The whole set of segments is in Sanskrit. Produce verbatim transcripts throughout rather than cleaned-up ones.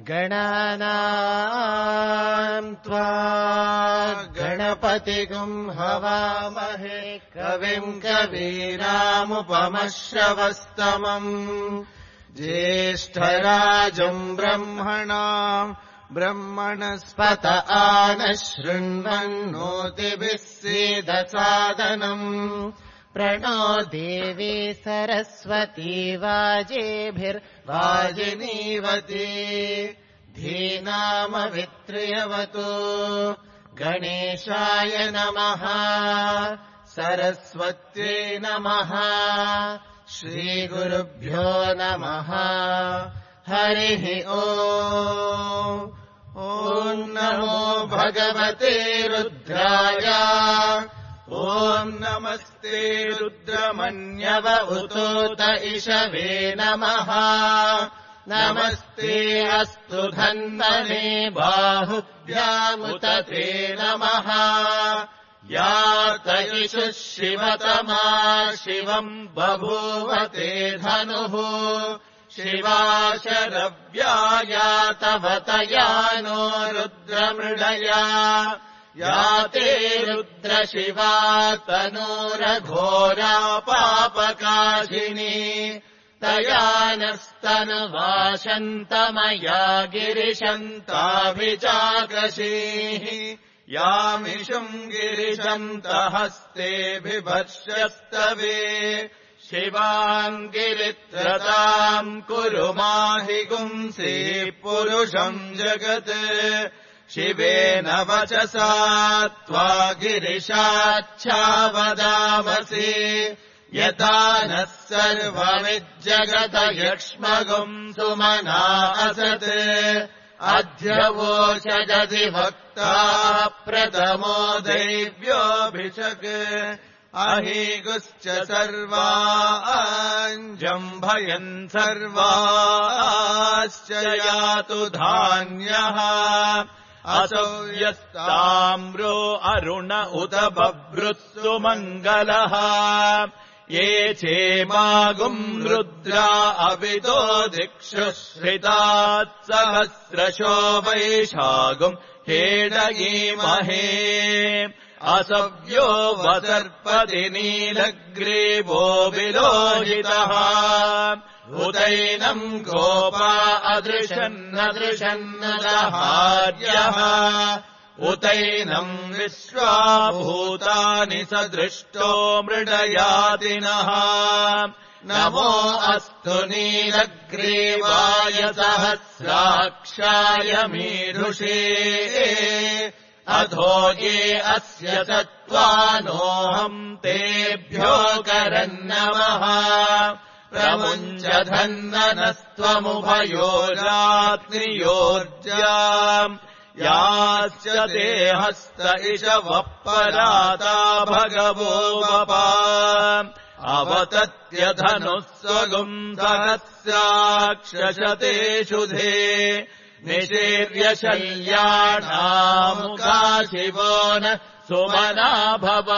गणानाम् त्वा गणपतिगुम् हवामहे कविम् कवीनामुपमश्रवस्तमम् ज्येष्ठराजम् ब्रह्मणाम् ब्रह्मणस्पत आनशृण्वन्नोतिभिः सीदसादनम् प्रणो देवी सरस्वती वाजेभिर्वाजिनीवती धीनामवित्र्यवतु गणेशाय नमः सरस्वत्यै नमः श्रीगुरुभ्यो नमः हरिः ओम् ॐ नमो भगवते रुद्राय ॐ नमस्ते रुद्रमन्यव उतोत इषवे नमः नमस्ते अस्तु धन्वने बाहुभ्यामुत ते नमः या त इषुः शिवतमा शिवम् बभूवते धनुः शिवा शरव्या तव तया नो रुद्रमृडया या ते रुद्रशिवा तनूरघोरा पापकाशिनी तया नस्तनुवाशन्तमया गिरिशन्ताभिचाकशीः यामिषुम् गिरिशन्तहस्ते बिभर्ष्यस्तवे शिवाम् गिरित्रताम् कुरु माहि गुंसि पुरुषम् जगत् शिवेन वचसा त्वा गिरिशाच्छावदामसि यथा नः सर्वमिज्जगत यक्ष्मगुम् सुमना असत् अध्यवोषजसि वक्ता प्रथमो दैव्योऽभिषक् अहीगुश्च सर्वाञ्जम्भयन् सर्वाश्च यातु धान्यः असौ यस्ताम्रो अरुण उत बभ्रुत्सु मङ्गलः ये चेमागुम् रुद्रा अविदो दिक्षु श्रितात् सहस्रशो वैशागुम् हेडयीमहे असव्यो वसर्पति नीलग्रीवो विलोहितः उदैनम् गोपा अदृशन्नदृशन्नदहार्यः उतैनम् विश्वाभूतानि सदृष्टो मृडयातिनः नमो अस्तु नीलग्रीवाय सहस्राक्षाय मीढुषे अधो ये अस्य तत्त्वानोऽहम् तेभ्यो करन्नमः प्रमुञ्चधन्वनस्त्वमुभयोरात्रियोर्जाम् यास्य ते हस्त इषवः पराता भगवो वपा अवतत्यधनुः स्वगुम् सहस्राक्षशते शुधे निषेव्यशल्याणामुखा शिवो न सुमना भव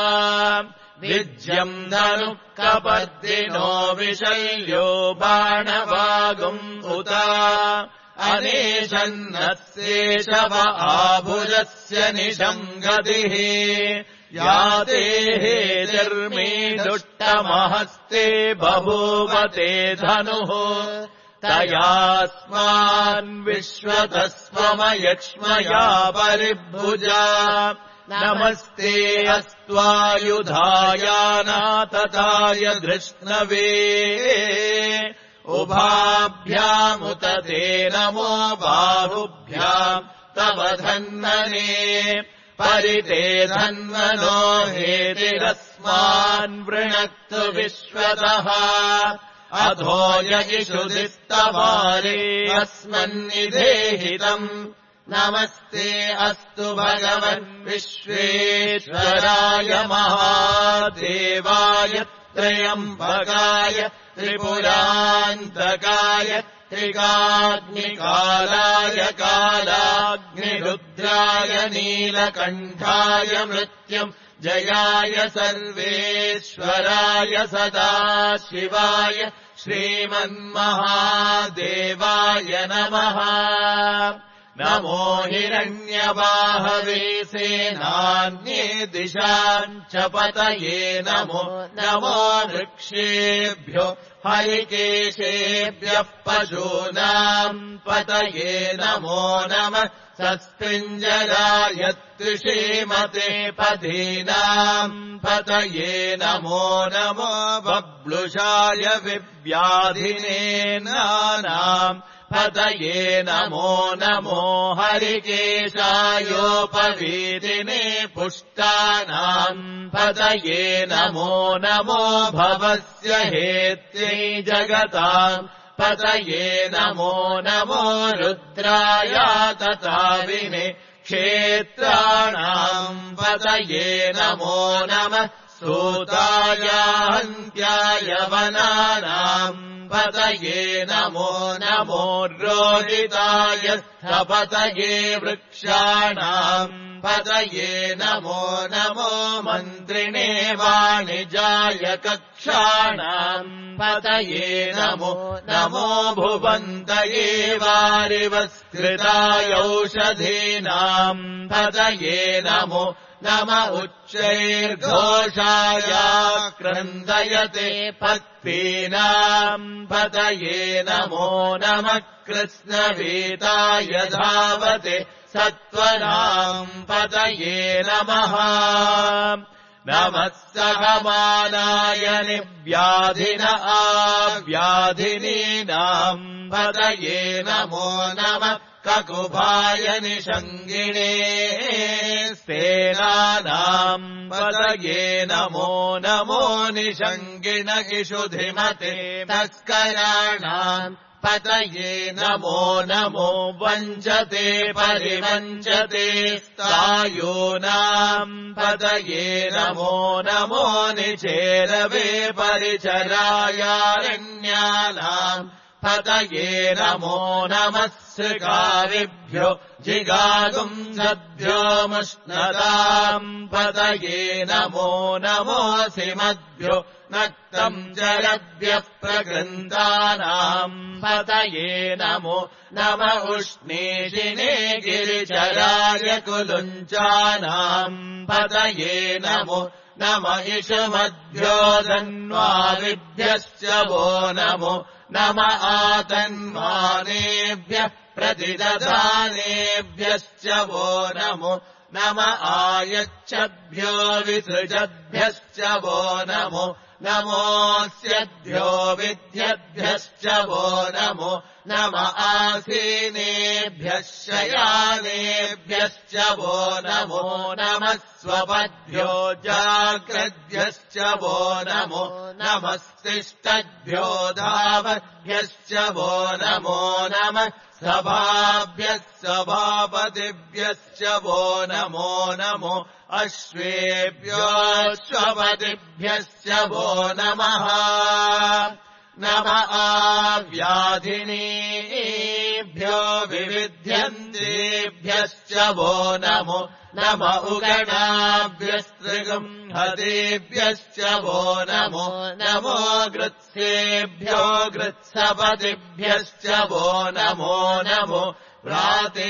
विज्यम् ननु कपर्दिनो विशल्यो बाणवागुम् उत अनेशन्नस्येषव आभुजस्य निषङ्गतिः याते हेतिर्मीदुष्टमहस्ते बभूवते धनुः तयास्मान् विश्वतस्वमयक्ष्मया परिभुजा नमस्ते अस्त्वायुधायानातताय धृष्णवे उभाभ्यामुत ते नमो बाहुभ्याम् तव धन्वने परिते धन्वनो हेतिरस्मान् वृणक्तु विश्वतः अधो यगिषुधिस्तवारे अस्मन्निधेहितम् नमस्ते अस्तु भगवन् विश्वेश्वराय महादेवाय त्र्यम्बकाय त्रिपुरान्तकाय त्रिकाग्निकालाय कालाग्निरुद्राय नीलकण्ठाय मृत्युम् जयाय सर्वेश्वराय सदाशिवाय श्रीमन्महादेवाय नमः। नमो हिरण्यबाहवे सेनान्ये दिशाम् च पतये नमो नमो वृक्षेभ्यो हरिकेशेभ्यः पशूनाम् पतये नमो नमः। सस्पिञ्जराय त्रिषीमते पदीनाम् पतये नमो नमो। बब्लुषाय विव्याधिने नानाम् पतये नमो नमो। हरिकेशायोपवीतिने पुष्टानाम् पतये नमो नमो। भवस्य हेत्यै जगताम् पतये नमो नमो। रुद्राय तथाविने क्षेत्राणाम् पतये नमो नमः। सूताय हन्त्याय वनानाम् पतये नमो नमो। रोदिताय स्थपतये वृक्षाणाम् पतये नमो नमो। मन्त्रिणे वाणिजाय कक्षाणाम् पतये नमो नमो। भुवन्तये वारिवस्कृताय औषधीनाम् पतये नमो नम। उच्चैर्घोषाय क्रन्दयते पत्नीनाम् पतये नमो नमः। कृष्णवीताय धावते सत्त्वनाम् पतये नमः। नमः सहमानाय निव्याधिन आव्याधिनीनाम् पतये नमो नमः। ककुभाय निषङ्गिणे सेनानाम् पतये नमो नमो। निषङ्गिण इषुधिमते तस्कराणाम् पतये नमो नमो। वञ्चते परिवञ्चते स्थायूनाम् पतये नमो नमो। निचेरवे परिचरायारण्यानाम् पतये नमो नमः। सृगारिभ्यो जिगागुम् सद्भ्यो मुष्णताम् पतये नमो नमो। सिमद्भ्यो नक्तम् जलभ्यः प्रगृन्दानाम् पतये नमो नम। उष्णीषिणे गिरिचराय कुलुञ्चानाम् पतये नमो नम। इषुमद्भ्यो धन्वारिभ्यश्च वो नमो नम। आतन्मानेभ्यः प्रतिदधानेभ्यश्च वो नमो नम। आयच्छद्भ्यो विसृजद्भ्यश्च वो नमो नमोऽस्यद्भ्यो विद्यद्भ्यश्च वो नमो नम। आसीनेभ्यः शयानेभ्यश्च वो नमो नमः। स्वपद्भ्यो जाग्रद्भ्यश्च वो नमो नमस्तिष्ठद्भ्यो धावद्भ्यश्च वो नमो नमः। सभाभ्यः सभापतिभ्यश्च वो नमो नमो। अश्वेभ्योऽश्वपतिभ्यश्च वो नमः नम। आव्याधिनीभ्यो विविध्यन्तेभ्यश्च वो नमो नम। उगणाभ्यस्त्रिगम् हतेभ्यश्च वो नमो नमो। गृत्सेभ्यो गृत्सपतिभ्यश्च वो नमो नमो। व्रातेभ्यो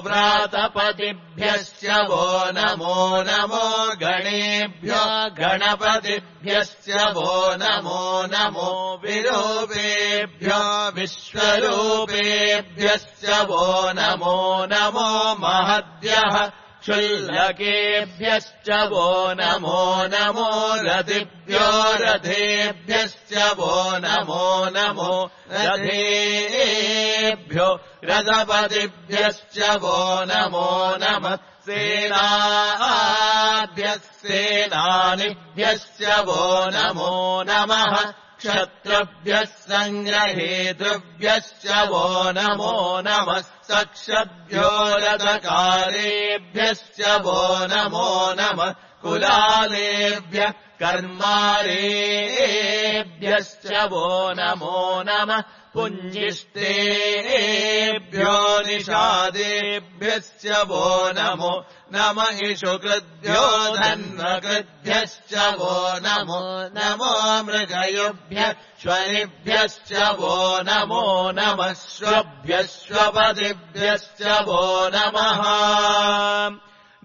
व्रातपतिभ्यश्च वो नमो नमो। गणेभ्यो गणपतिभ्यश्च वो नमो नमो। विरूपेभ्यो विश्वरूपेभ्यश्च वो नमो नमो। महद्भ्यः क्षुल्लकेभ्यश्च वो नमो नमो। रथिभ्यो रथेभ्यश्च वो नमो नमो। रथेभ्यो रथपतिभ्यश्च वो नमो नमः। सेनाभ्यः सेनानिभ्यश्च वो नमो नमः। क्षत्रभ्यः सङ्ग्रहेतृभ्यश्च वो नमो नमः। सक्षभ्यो रथकारेभ्यश्च वो नमो नमः। कुलालेभ्यः कर्मारेभ्यश्च वो नमो नमः। पुञ्जिष्टेभ्यो निषादेभ्यश्च वो नमो नम इषु कृद्भ्यो धन्वकृद्भ्यश्च वो नमो नमो मृगयुभ्यः श्वनिभ्यश्च वो नमो नमः श्वभ्यश्वपदिभ्यश्च वो नमः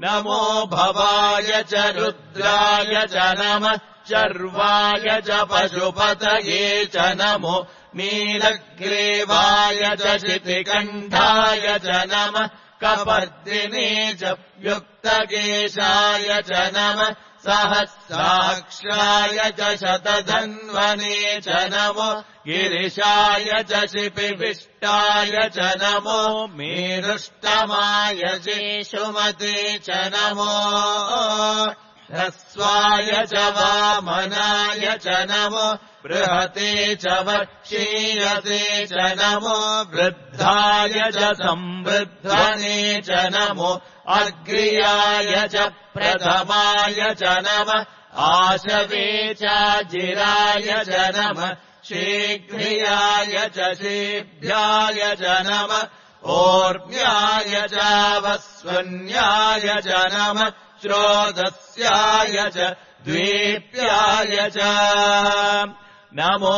नमो भवाय च रुद्राय च नमः चर्वाय च पशुपतये च नमो नीलग्रीवाय च शितिकण्ठाय च नमः कपर्दिने च युक्तकेशाय च नमः सहस्राक्षाय च शतधन्वने च नमो गिरिशाय च शिपिविष्टाय च नमो मेरुष्टमाय शेषुमते च नमो ह्रस्वाय च वामनाय च नमो बृहते च वक्षीयते च नमो वृद्धाय च संवृद्धने च नमो अग्र्याय च प्रथमाय च नमः आशवे चाजिराय च नमः शीघ्रियाय च शीभ्याय च नमः ओर्म्याय चावस्वन्याय च नमः श्रोदस्याय च द्वीप्याय च नमो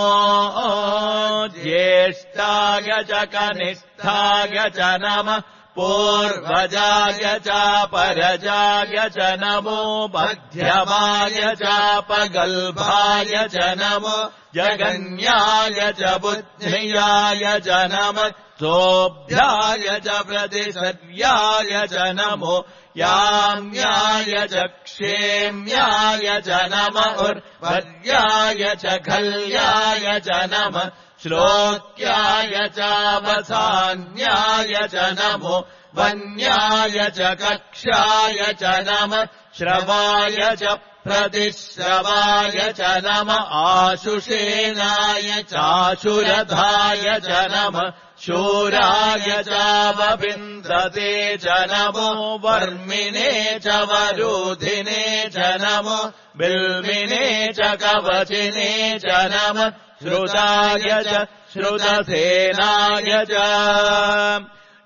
ज्येष्ठाय च कनिष्ठाय च नमः पूर्वजाय चापरजाय च नमो मध्यमाय चापगल्भाय च नमो जगन्याय च बुद्ध्याय च नमः सोऽभ्याय च प्रतिसर्याय च नमो याम्याय च क्षेम्याय च नमः उर्वर्याय च खल्याय च नमः श्लोक्याय चावसान्याय च नमो वन्याय च कक्षाय च नमः श्रवाय च प्रतिश्रवाय च नमः आशुषेनाय चाशुरधाय च नमः शूराय चावविन्दते च नमो वर्मिणे च वरुधिने च नमो बिल्विने च कवचिने च नमः श्रुताय च श्रुतसेनाय च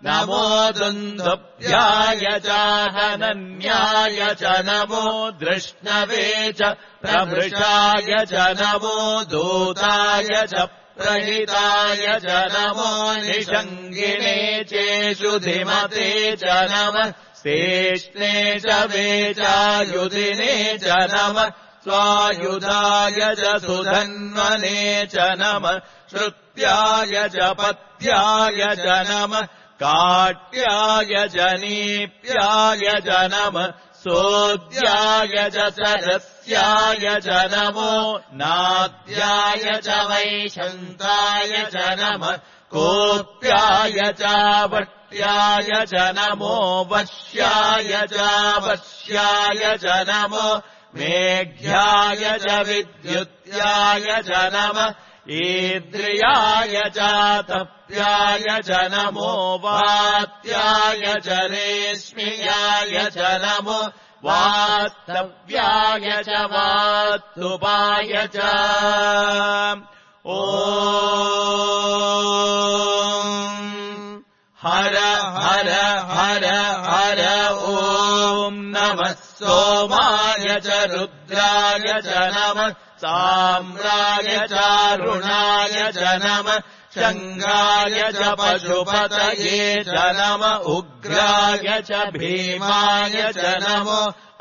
नमो दुन्दुभ्याय चाहनन्याय च नमो दृष्णवे च प्रभृशाय च नमो दूताय च प्रहिताय च नमो निषङ्गिने चेषुधिमते च नमः शेष्णे च वेचायुधिने च नमः स्वायुधाय च सुधन्वने च नमः श्रुत्याय च पत्याय च नमः काट्याय च नीप्याय च नमः सोद्याय च सरस्याय च नमो नाद्याय च वैशन्ताय च नमः कोप्याय च वट्याय च नमो वश्याय च वश्याय च नमो मेघ्याय च विद्युत्याय च नमः ईद्रियाय च तप्याय च नमो वात्याय च रेश्म्याय च नमो वास्तव्याय च वास्तुपाय च ॐ हर हर हर हर ॐ नमः सोमाय च रुद्राय च नमः साम्राय चारुणाय च नमः शङ्गाय च पशुपतये च नमः उग्राय च भीमाय च नमो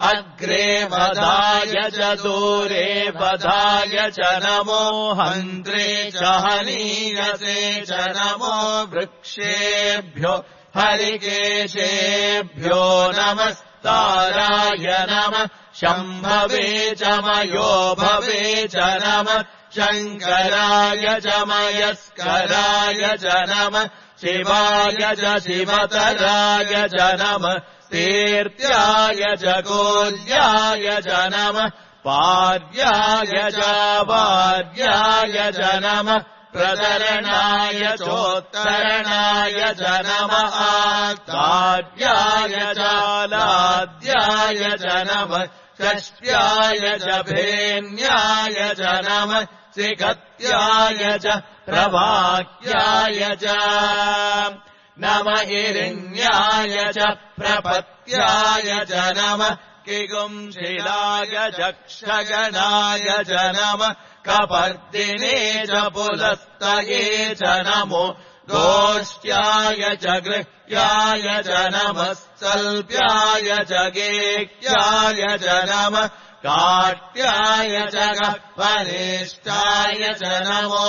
अग्रे वधाय च दूरे वधाय च नमो हन्त्रे च हनीयसे च नमो वृक्षेभ्यो हरिकेशेभ्यो नमस्ताराय नमः शम्भवे च मयो भवे च नमः शङ्कराय च मयस्कराय च नमः शिवाय च शिवतराय च नमः तीर्थ्याय च कोल्याय च नमः पार्याय च वार्याय च नमः प्रतरणाय चोत्तरणाय च नमः आद्याय चालाद्याय च नमः षष्ट्याय च भेन्याय च नमः शिखत्याय च प्रभाक्याय च नम हिरण्याय च प्रपत्याय च नमः किगुंशिलाय चक्षगणाय च नमः कपर्दिने च पुलस्तये च नमो गोष्ट्याय च गृह्याय च नमः सल्प्याय च गेह्याय च नमः काट्याय च गह्वनिष्ठाय च नमो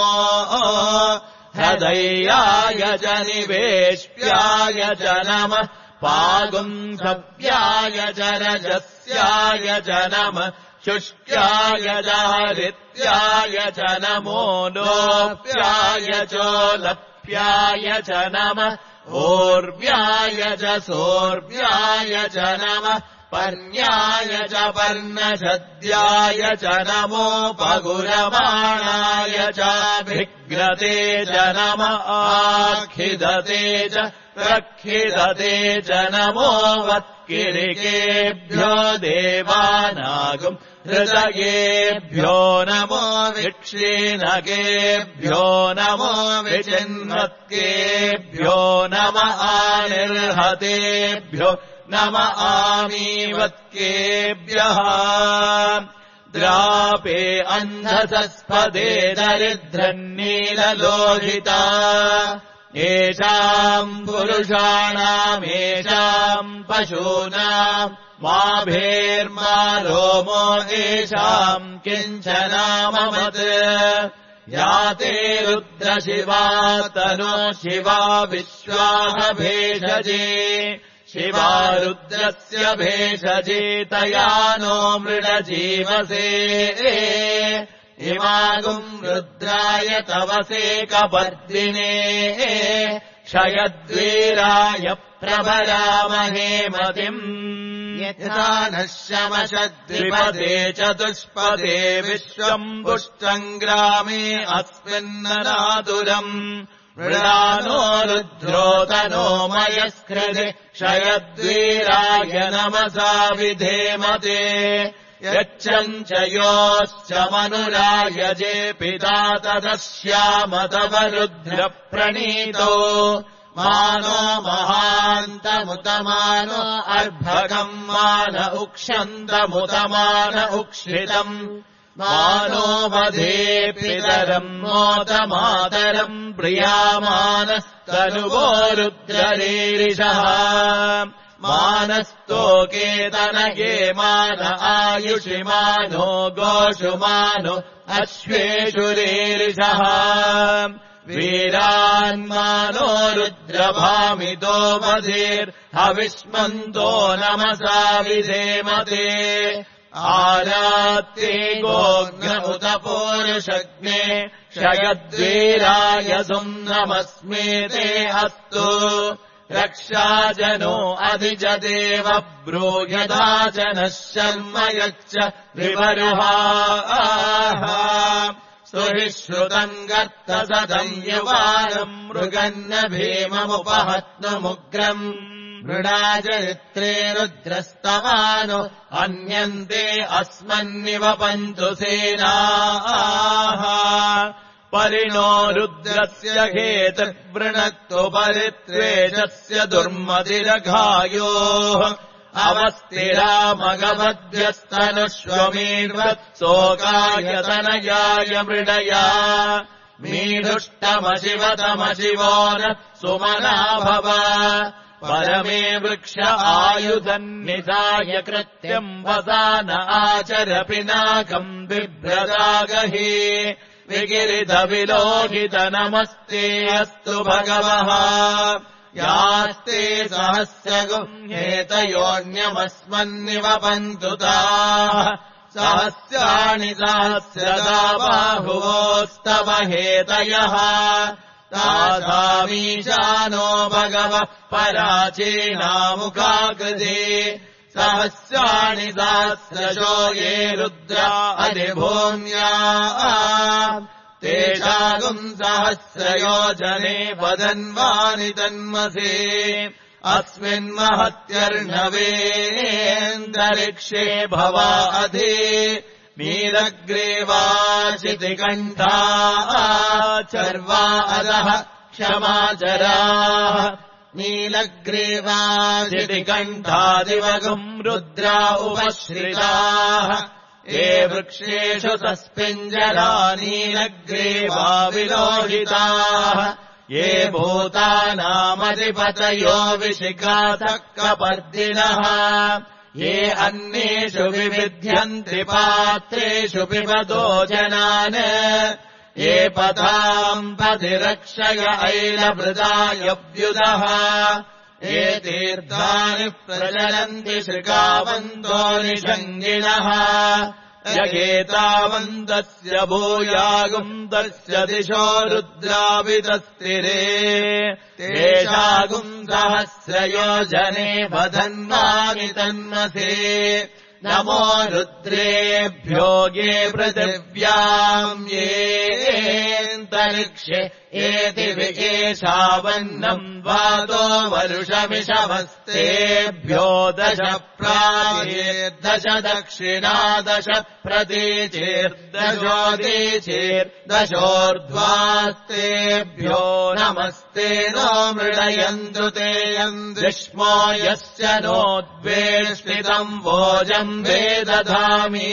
हृदयाय च निवेश्याय च नमः पागुंसव्याय च रजस्याय च नमः शुष्क्याय च हरित्याय च नमो लोप्याय चोलप्याय च नमः ओर्व्याय च सोर्व्याय च नमः पर्ण्याय च पर्णशद्याय च नमो पगुरमाणाय चाभिघ्नते च नमः आखिदते च प्रखिदते च नमो वत्किरिकेभ्यो देवानागुम् हृदयेभ्यो नमो विक्षीणकेभ्यो नमो विचिन्वत्केभ्यो नमः आनिर्हतेभ्यो नम आमीवत्केभ्यः द्रापे अन्धसस्पदे दरिद्रन्नीललोहिता येषाम् पुरुषाणामेषाम् पशूनाम् मा भेर्मा रोमो येषाम् किञ्चनाममत् याते रुद्रशिवा तनो शिवा विश्वाः भेषजे शिवा रुद्रस्य भेषजे तया नो मृडजीवसे इमागुम् रुद्राय तवसे कपर्दिने क्षयद्वीराय प्रभरामहे मतिम् यथा नः शमशद्विपदे चतुष्पदे विश्वम् पुष्टम् ग्रामे अस्मिन्ननातुरम् मृडानो रुद्रोतनो मयस्कृते क्षयद्वीराय नमसा विधेमते यच्छम् च योश्च मनुरायजे पिता तदस्याम तव रुद्रप्रणीतो मानो महान्तमुतमानो अर्भकम् मान उक्षन्तमुतमान उक्षितम् मानो वधे पितरम् मोदमातरम् प्रियामानस्तनुवो रुद्ररीरिषः मानस्तोकेतनये मान आयुषि मानो गोषु मानो अश्वेषु रीरिषः वीरान्मानो रुद्रभामितो वधेर्हविष्मन्तो नमसा विधेमते आरात्ते गोघ्न उत पूरुषग्ने क्षयद्वीराय सुम्नमस्मेते अस्तु रक्षाजनो अधिजदेव ब्रूयदा च नः शर्म यच्च विवरुहाः सुहिश्रुतम् गर्तसदम् युवानम् मृगन्न भीममुपहत्नुमुग्रम् मृडाचरित्रे रुद्रस्तवानो अन्यन्ते अस्मन्निव पन्तु सेनाः परिणो रुद्रस्य हेतुर्वृणक्तु परित्वेषस्य दुर्मतिरघायोः अवस्थिरामगवद्भ्यस्तनुष्वमीर्वत्सोकायतनयाय मृडया मीदुष्टमशिवतमशिवो न सुमना भव परमे वृक्ष आयुधन्निधाय कृत्यम् वसान आचर पिनाकम् बिभ्रदागहि विगिरिधविलोकित नमस्ते अस्तु भगवः यास्ते सहस्रगुह्येतयोऽन्यमस्मन्निव पन्तु ताः सहस्राणि सहस्रदा बाहुवोस्तव हेतयः तासामीशानो भगवः पराचीनामुखाकृते सहस्राणि सहस्रशो ये रुद्रा अधिभूम्या तेषागुम् सहस्रयोजने वदन्वानि तन्मसे अस्मिन्महत्यर्णवेऽन्तरिक्षे भवा अधि नीलग्रीवाचितिकण्ठा चर्वा अधः क्षमाचराः नीलग्रीवादिकण्ठादिवगुम् रुद्रा उपश्रिताः ये वृक्षेषु सस्पिञ्जरा नीलग्रीवा विलोहिताः ये भूतानामधिपतयो विशिखातक्कपर्दिनः ये अन्येषु विविध्यन्ति पात्रेषु पिबतो जनान् ये पदाम् पतिरक्षय ऐलभृदायव्युदः ये तीर्थानि प्रचलन्ति श्रिकावन्तो निषङ्गिणः यगेतावन्तस्य भूयागुन्तस्य दिशो रुद्रावितस्तिरे तेषागुम् सहस्रयोजने वधन्वामि तन्मसे नमो रुद्रेभ्यो ये पृथिव्याम् येऽन्तरिक्षे एति विकेशावन्नम् वातो वरुषमिषवस्तेभ्यो दश प्राचेर्दश दक्षिणा दश प्रतीचेर्दशोदीचेर्दशोर्ध्वास्तेभ्यो नमस्ते नो मृडयन्तु ते यन्द्रिष्मो यस्य नोद्वेष्टितम् भोजम् वेदधामि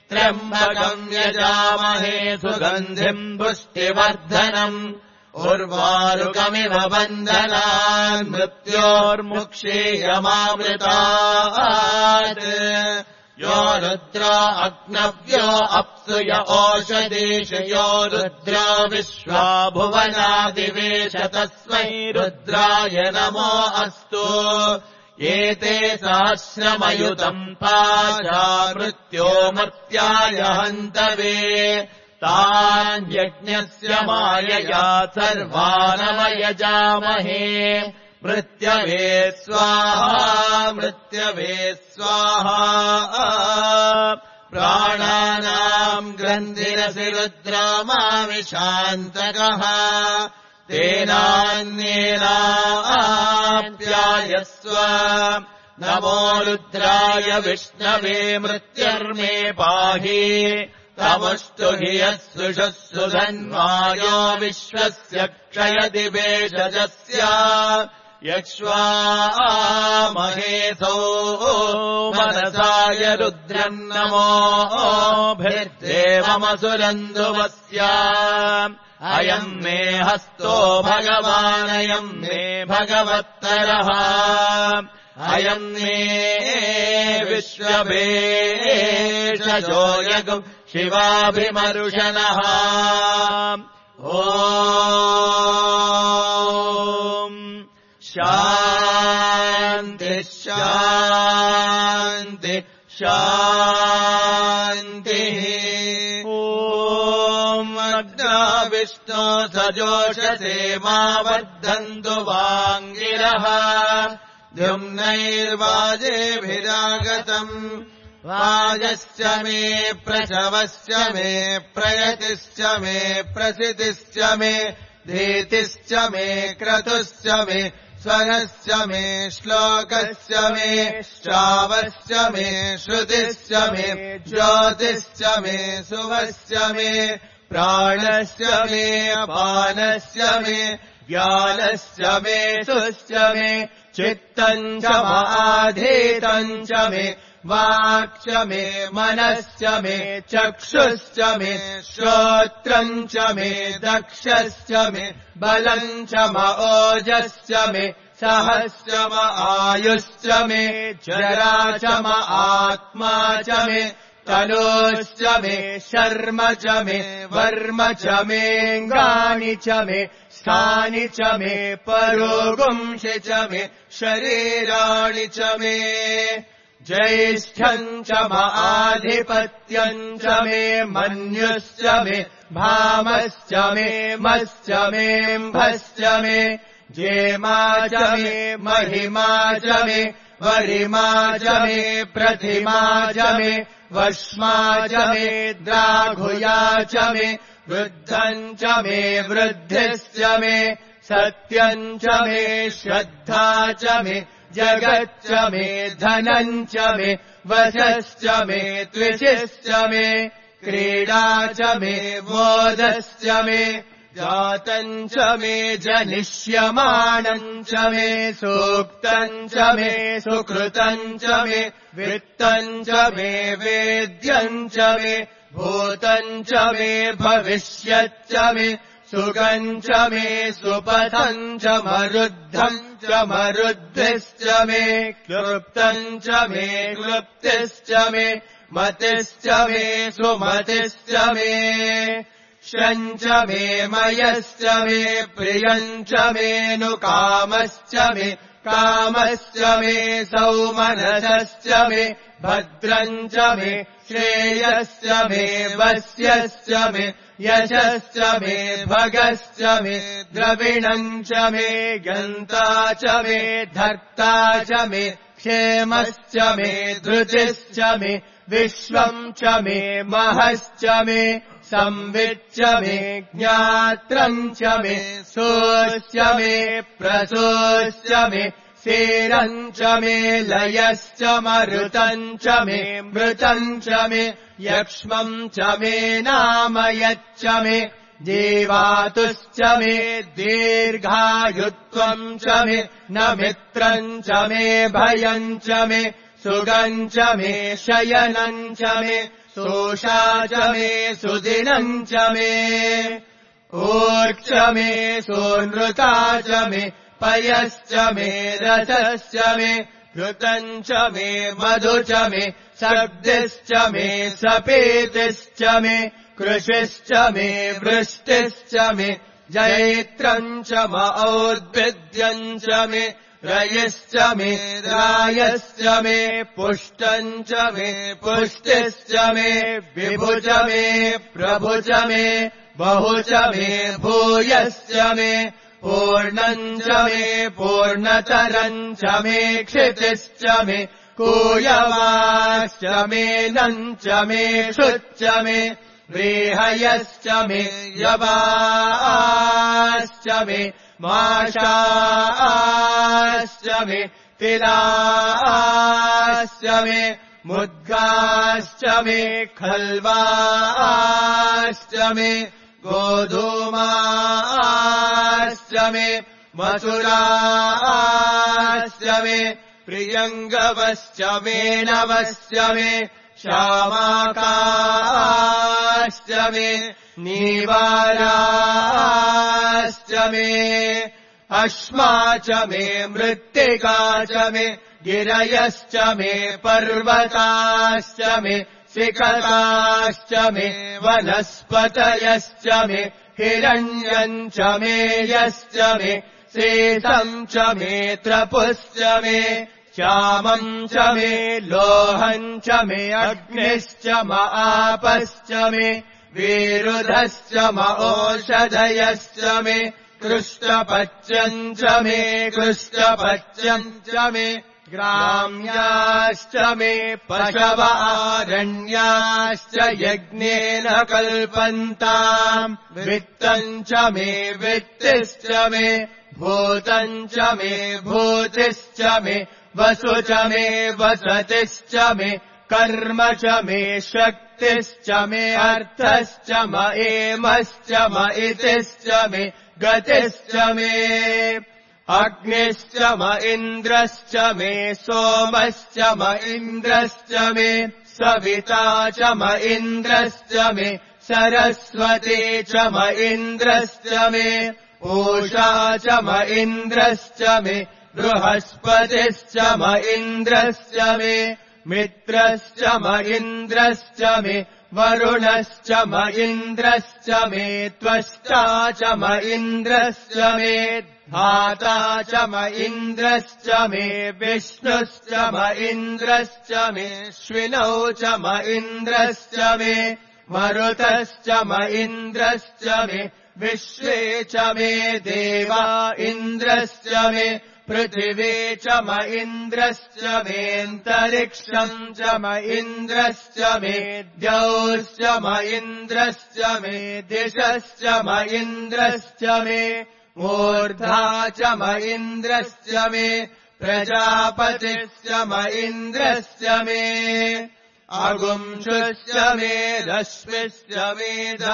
त्र्यम्बकम् यजामहे सुगन्धिम् पुष्टिवर्धनम् उर्वारुकमिव बन्धनान् मृत्योर्मुक्षीयमामृतात् यो रुद्रो अग्नव्यो अप्सुय ओषधीषु यो रुद्रो विश्वा भुवनादिवेश तस्मै रुद्राय नमो अस्तु एते सहस्रमयुतम् पाशा मृत्यो मर्त्याय हन्तवे तान्यज्ञस्य मायया सर्वानवयजामहे मृत्यवे स्वाहा मृत्यवे स्वाहा प्राणानाम् ग्रन्थिरसि रुद्रमाविशान्तकः तेनान्येनाप्यायस्व नमो रुद्राय विष्णवे मृत्युर्मे पाहि तमुष्टु हि यस्सुषः सुधन्वायो विश्वस्य क्षयति भेषजस्य यक्ष्वामहेसो मनसाय रुद्रम् नमोभिर्देवमसुरन्धुवस्य अयम् मे हस्तो भगवानयम् मे भगवत्तरः अयम् मे विश्वभेषजो यगुम् शिवाभिमरुषणः ॐ शान्ति शान्ति शान्तिः ॐ अग्ना विष्णो सजोषसे मा वर्धन्तु वाङ्गिरः द्युम्नैर्वाजेभिरागतम् वाजश्च मे प्रसवश्च मे प्रयतिश्च मे प्रसितिश्च मे धीतिश्च मे क्रतुश्च मे स्वरश्च मे श्लोकश्च मे श्रावश्च मे श्रुतिश्च मे ज्योतिश्च मे सुवश्च मे प्राणश्च मे अपानश्च मे ज्ञानश्च मे सुश्च मे चित्तम् च माधीतम् च मे वाक् च मे मनश्च मे चक्षुश्च मे श्रोत्रम् च मे दक्षश्च मे बलम् च म ओजश्च मे सहश्च म आयुश्च मे जरा च म आत्मा च मे तनोश्च मे शर्म च मे वर्म च मेऽङ्गानि च मे स्थानि च मे परोगुंसि च मे शरीराणि च मे ज्येष्ठम् च म आधिपत्यम् च मे मन्युश्च मे भामश्च मे मश्च मेऽम्भश्च मे जेमा च मे महिमा च मे वरिमा च मे प्रतिमा च मे वश्मा च मे द्राघुया च मे वृद्धम् च मे वृद्धिश्च मे सत्यम् च मे श्रद्धा च मे जगच्च मे धनम् च मे वशश्च मे त्विषिश्च मे क्रीडा च मे मोदश्च मे जातम् च मे जनिष्यमाणम् च मे सूक्तम् च मे सुकृतम् च मे वित्तम् च मे वेद्यम् च मे भूतम् च मे भविष्यच्च मे सुखम् च मे सुपथम् च मरुद्धम् च मरुद्धिश्च मे क्लृप्तम् च मे क्लृप्तिश्च मे मतिश्च मे सुमतिश्च मे शम् च मे मयश्च मे प्रियम् च मे नुकामश्च मे कामश्च मे सौमनसश्च मे भद्रम् च मे श्रेयश्च मे वस्यश्च मे यशश्च मे भगश्च मे द्रविणम् च मे गन्ता च मे धर्ता च मे क्षेमश्च मे धृतिश्च मे विश्वम् च मे महश्च मे संविच्च मे ज्ञात्रम् च मे सोऽश्च मे प्रसोऽश्च मे सेरम् च मे लयश्च मरुतम् च मे मृतम् च मे यक्ष्मम् च मे नामयच्च मे जीवातुश्च मे दीर्घायुत्वम् च मे न मित्रम् च मे भयम् च मे सुगम् च मे शयनम् च मे सोषा च मे सुदिनम् च मे ऊर्क्ष मे सोनृता च मे पयश्च मे रसश्च मे घृतम् च मे मधु च मे सब्दिश्च मे सपेतिश्च मे कृषिश्च मे वृष्टिश्च मे जैत्रम् च मौद्भिद्यम् च मे रयिश्च मे रायश्च मे पुष्टम् च मे पुष्टिश्च मे विभु च मे प्रभु च मे बहु च मे भूयश्च मे पूर्णम् च मे पूर्णतरम् च मे क्षितिश्च मे कूयवाश्च मे नम् च मे क्षुच्च मे व्रीहयश्च मे यवाश्च मे माशाश्च मे तिलाश्च मे मुद्गाश्च मे खल्वाश्च मे गोधूमाश्च मे मसुराश्च मे प्रियङ्गवश्च मे नवश्च मे श्यामाकाश्च मे नीवाराश्च मे अश्मा च मे मृत्तिका च मे गिरयश्च मे पर्वताश्च मे शिखराश्च मे वनस्पतयश्च मे हिरण्यम् च मे यश्च मे शेषम् च मे त्रपुश्च मे श्यामम् च मे लोहम् च मे अग्निश्च म आपश्च मे विरुधश्च म ओषधयश्च मे कृष्णपच्यम् च मे कृष्णपच्यम् च मे ग्राम्याश्च मे पशव आरण्याश्च यज्ञेन कल्पन्ताम् वित्तम् च मे वित्तिश्च मे भूतम् च मे भूतिश्च मे वसु च मे वसतिश्च मे कर्म च मे शक्तिश्च मे अर्थश्च म एमश्च म इतिश्च मे गतिश्च मे अग्निश्च म इन्द्रश्च मे सोमश्च म इन्द्रश्च मे सविता च म इन्द्रश्च मे सरस्वती च म इन्द्रश्च मे पूषा च म इन्द्रश्च मे बृहस्पतिश्च म इन्द्रश्च मे मित्रश्च म इन्द्रश्च मे वरुणश्च म इन्द्रश्च मे त्वष्टा च म इन्द्रश्च मे धाता च म इन्द्रश्च मे विष्णुश्च म इन्द्रश्च मे श्विनौ च म इन्द्रश्च मे मरुतश्च म इन्द्रश्च मे विश्वे च मे देवा इन्द्रश्च मे पृथिवी च म इन्द्रश्च मेऽन्तरिक्षम् च म इन्द्रश्च मे द्यौश्च म इन्द्रश्च मे दिशश्च म इन्द्रश्च मे मूर्धा च म इन्द्रश्च मे प्रजापतिश्च म इन्द्रश्च मे अगुंशुश्च मे रश्मिश्च मेधाभ्यश्च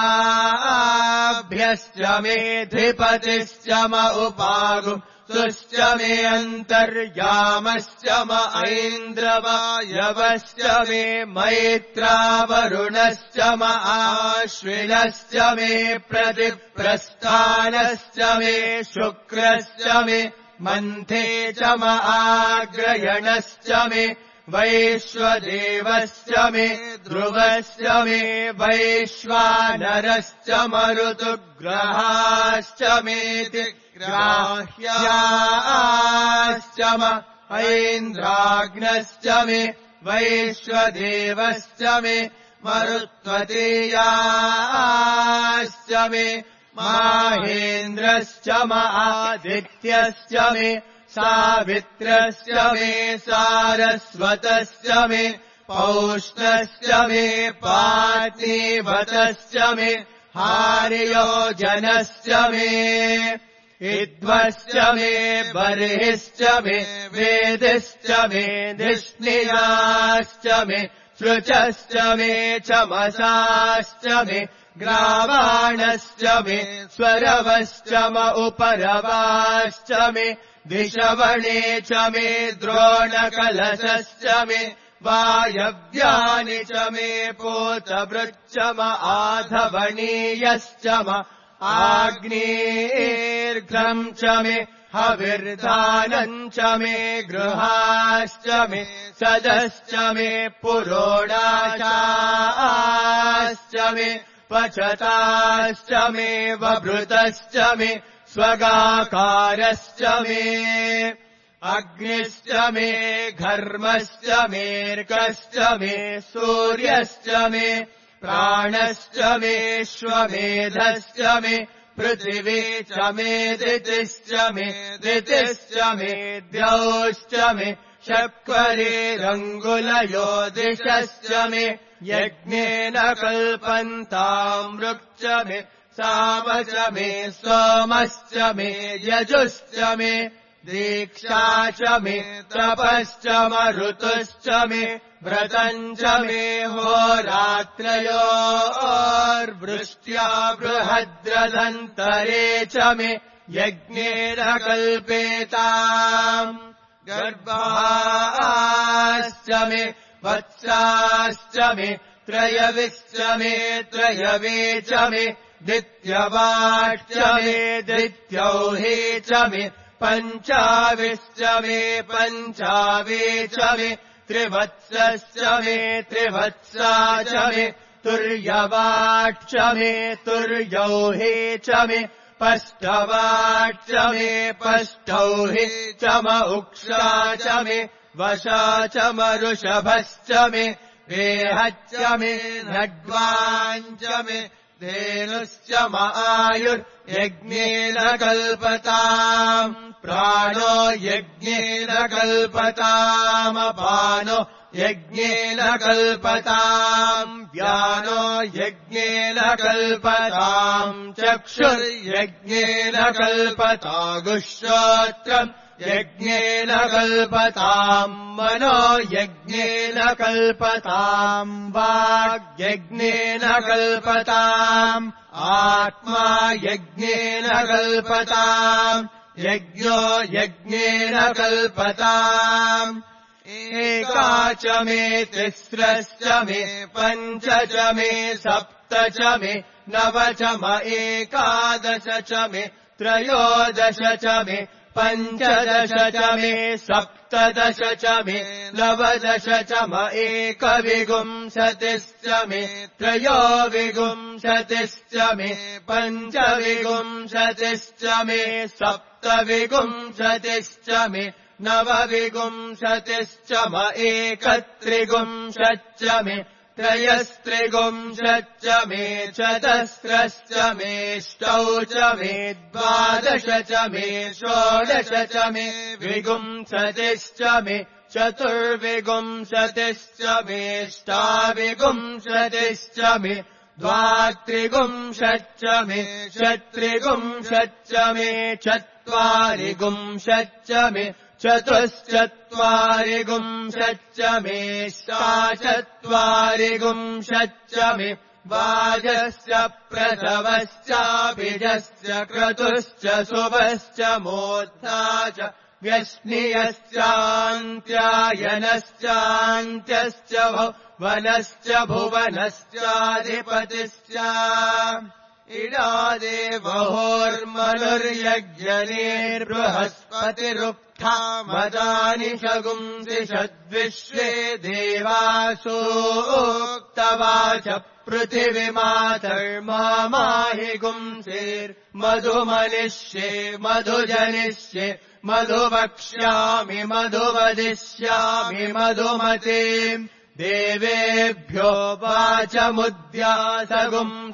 मेऽधिपतिश्च म उपागुं सुश्च मे अन्तर्यामश्च म ऐन्द्रवायवश्च मे मैत्रावरुणश्च म आश्विनश्च मे प्रतिप्रस्थानश्च मे शुक्रश्च मे मन्थे च म आग्रयणश्च मे वैश्वदेवश्च मे ध्रुवश्च मे वैश्वानरश्च मरुतुग्रहाश्च मेति ग्राह्याश्च म ऐन्द्राग्नश्च मे वैश्वदेवश्च मे मरुत्वतीयाश्च मे माहेन्द्रश्च म आदित्यश्च मे सावित्रश्च मे सारस्वतश्च मे पौष्णश्च मे पार्थिवतश्च मे हार्योजनश्च मे इद्वश्च मे बर्हिश्च मे वेदिश्च मे धिष्णियाश्च मे सृचश्च मे चमसाश्च मे ग्रावाणश्च मे स्वरवश्च म उपरवाश्च मे दिशवणे च मे द्रोणकलशश्च मे वायव्यानि च मे पोतभृच्च म आधवणीयश्च म आग्नेर्घ्रम् च मे हविर्धानम् च मे गृहाश्च मे सदश्च मे पुरोडाशाश्च मे पचताश्च मे वभृतश्च मे स्वगाकारश्च मे अग्निश्च मे घर्मश्च मेऽर्कश्च मे सूर्यश्च मे प्राणश्च मेऽश्वमेधश्च मे पृथिवी च मे दितिश्च मे दितिश्च मे द्यौश्च मे शक्वरेरङ्गुलयो दिशश्च मे यज्ञेन कल्पन्ताम् ऋक्च मे सामश्च मे सोमश्च मे यजुश्च मे दीक्षा च मे तपश्च मरुतुश्च मे व्रतम् च मे होरात्रयोर्वृष्ट्या बृहद्रदन्तरे च मे यज्ञेन कल्पेताम् गर्भाश्च मे वत्साश्च मे त्रयविश्च मे त्रयवे च मे दित्यवाच्च मे दित्यौहे च मे पञ्चाविश्च मे पञ्चावे च मे त्रिवत्सश्च मे त्रिवत्सा च मे तुर्यवाच्च मे तुर्यौहे च मे पष्टवाच्च मे पष्टौहे च म उक्षा च मे वशा च मरुषभश्च मे वेहच्च मे नड्वाञ्च मे धेनुश्च म आयुर्यज्ञेन कल्पताम् प्राणो यज्ञेन कल्पतामपानो यज्ञेन कल्पताम् व्यानो यज्ञेन कल्पताम् चक्षुर्यज्ञेन कल्पतागुश्रोत्रम् यज्ञेन कल्पताम् मनो यज्ञेन कल्पताम् वाग्यज्ञेन कल्पताम् आत्मा यज्ञेन कल्पताम् यज्ञो यज्ञेन कल्पताम् एका च मे तिस्रश्च मे पञ्च च मे सप्त च मे नव च म एकादश च मे त्रयोदश च मे पञ्चदश च मे सप्तदश च मे नवदश च म एकविंशतिश्च मे त्रयोविंशतिश्च मे पञ्चविंशतिश्च मे सप्तविंशतिश्च मे नवविंशतिश्च म एकत्रिंशच्च मे त्रयस्त्रिंशच्च मे चतस्रश्च मेष्टौ च मे द्वादश च मे षोडश च मे विंशतिश्च मे चतुर्विंशतिश्च मेष्टाविंशतिश्च मे द्वात्रिंशच्च मे चत्रिंशच्च मे चत्वारिंशच्च मे चतुश्चत्वारि गुंशच्च मे चत्वारि गुंशच्च मे वाजश्च प्रसवश्चाभिजश्च क्रतुश्च शुभश्च मोद्धा च व्यश्नियश्चान्त्यायनश्चान्त्यश्च भुवनश्च भुवनश्चाधिपतिश्च इडादेवहोर्मनुर्यज्ञनेर्बृहस्पतिरुक्था मदानि शगुंसि षद्विश्वे देवासोक्तवाच पृथिवीमातर्माहि गुंसेर्मधुमनिष्ये मधुजनिष्ये मधुवक्ष्यामि मधुवदिष्यामि मधुमते देवेभ्यो वाचमुद्यासगुम्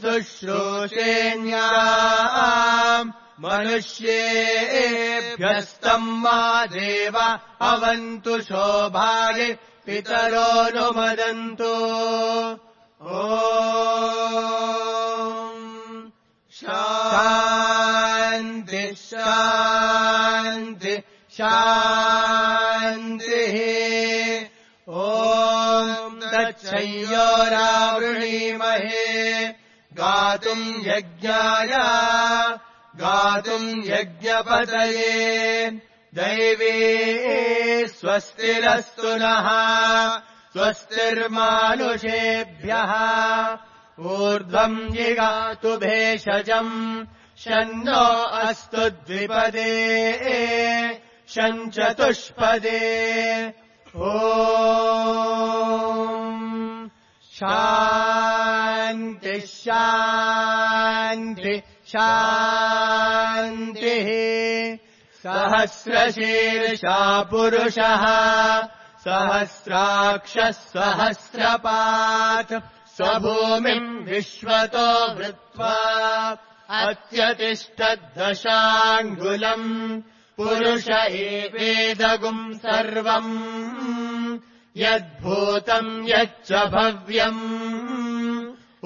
शुश्रूषेण्या मनुष्येभ्यस्तम् मा देव अवन्तु शोभागे पितरोऽनुमदन्तु ॐ शान्ति शान्ति शान्तिः ॐ तच्छयोरावृणीमहे गातुम् यज्ञाय गातुम् यज्ञपतये दैवे स्वस्तिरस्तु नः स्वस्तिर्मानुषेभ्यः ऊर्ध्वम् जिगातु भेषजम् शन्नो अस्तु द्विपदे शञ्चतुष्पदे ॐ शान्ति शान्ति शान्तिः सहस्रशीर्षा पुरुषः सहस्राक्षः सहस्रपात् स्वभूमिम् विश्वतो वृत्वा अत्यतिष्ठद्दशाङ्गुलम् पुरुष एवेदगुम् सर्वम् यद्भूतम् यच्च भव्यम्